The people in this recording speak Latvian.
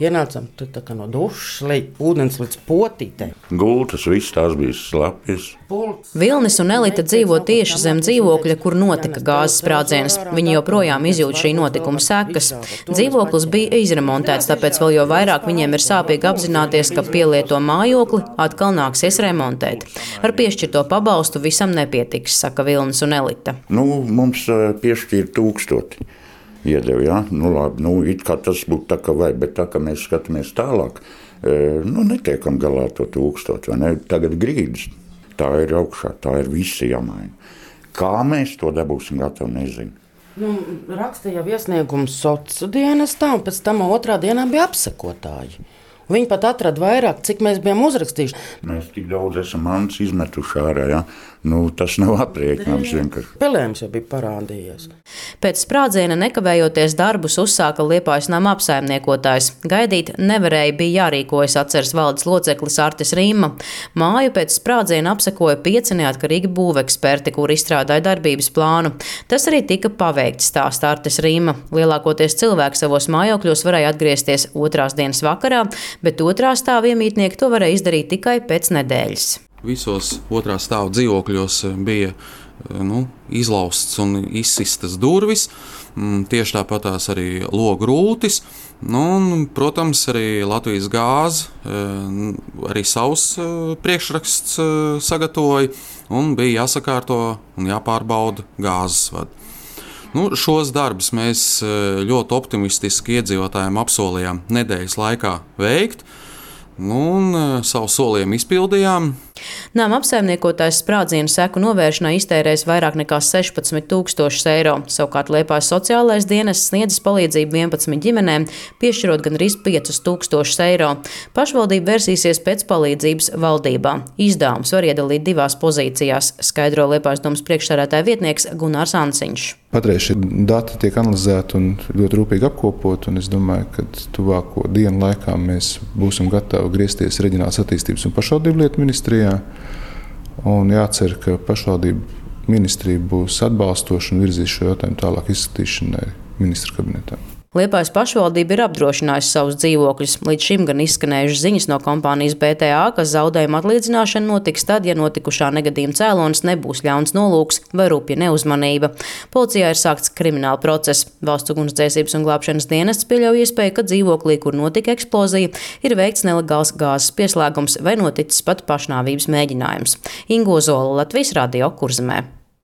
Ienācām tā kā no dušas, ūdens līdz potītei. Gultas, viss tās bija slapjas. Vilnis un Elita dzīvo tieši zem dzīvokļa, kur notika gāzes sprādziens. Viņi joprojām izjūt šī notikuma sekas. Dzīvoklis bija izremontēts, tāpēc vēl jo vairāk viņiem ir sāpīgi apzināties, ka pielieto mājokli atkal nāksies remontēt. Ar piešķirto pabalstu visam nepietiks, saka Vilnis un Elita. Mums piešķīra 1000. Iedeva, ja? Labi, it kā tas būtu tā, ka vai, bet tā, ka mēs skatāmies tālāk, netiekam galā to 1000, vai ne? Tagad grīdas, tā ir augšā, tā ir visi jāmaina. Kā mēs to dabūsim gatavu, nezinu. Rakstīja iesniegums sociālajā dienestā, un pēc tam otrā dienā bija apsekotāji. Viņi pat atrada vairāk, cik mēs bijām uzrakstījuši. Mēs tik daudz esam mantas izmetuši ārā, ja? Tas nav aprēķināms vienkārši. Pelējums jau bija parādījies. Pēc sprādziena nekavējoties darbus uzsāka Liepājas nama apsaimniekotājs. Gaidīt nevarēja, bija jārīkojas, atceras valdes loceklis Artis Rīma. Māju pēc sprādziena apsekoja 5 neatkarīgi būveksperti, kuri izstrādāja darbības plānu. Tas arī tika paveikts, stāsta Artis Rīma. Lielākoties cilvēki savos mājokļos varēja atgriezties 2. dienas vakarā, bet 2. stāva iemītnieki to varēja izdarīt tikai pēc nedēļas. Visos 2. stāva dzīvokļos bija izlaustas un izsistas durvis, tieši tāpatās arī logu rūtis. Protams, arī Latvijas gāze arī savus priekšraksts sagatavoja un bija jāsakārto un jāpārbauda gāzes vadi. Šos darbus mēs ļoti optimistiski iedzīvotājiem apsolījām nedēļas laikā veikt. Savu solījumu izpildījām. Nama apsaimniekotājs sprādzienu seku novēršanai iztērēs vairāk nekā 16 000 eiro. Savukārt Liepājas sociālais dienests sniedzis palīdzību 11 ģimenēm, piešķirot gandrīz 5 000 eiro. Pašvaldība versīsies pēc palīdzības valdībā. Izdevums var iedalīt 2 pozīcijās, skaidro Liepājas domas priekšsēdētāja vietnieks Gunārs Ansiņš. Patreiz šie dati tiek analizēti un ļoti rūpīgi apkopoti, un es domāju, ka tuvāko dienu laikā mēs būsim gatavi griezties Reģionālās attīstības un pašvaldību lietu ministrijā. Un jācer, ka pašvaldību ministrija būs atbalstoša un virzīs šo jautājumu tālāk izskatīšanai ministru kabinetā. Liepājas pašvaldība ir apdrošinājusi savus dzīvokļus. Līdz šim gan izskanējušas ziņas no kompānijas BTA, ka zaudējuma atlīdzināšana notiks tad, ja notikušā negadījuma cēlonis nebūs ļauns nolūks vai rupja neuzmanība. Policijā ir sākts krimināla process. Valsts ugunsdzēsības un glābšanas dienests pieļauj iespēju, ka dzīvoklī, kur notika eksplozija, ir veikts nelegāls gāzes pieslēgums vai noticis pat pašnāvības mēģinājums. Ingo Zola, Latvijas Radio, Kurzemē.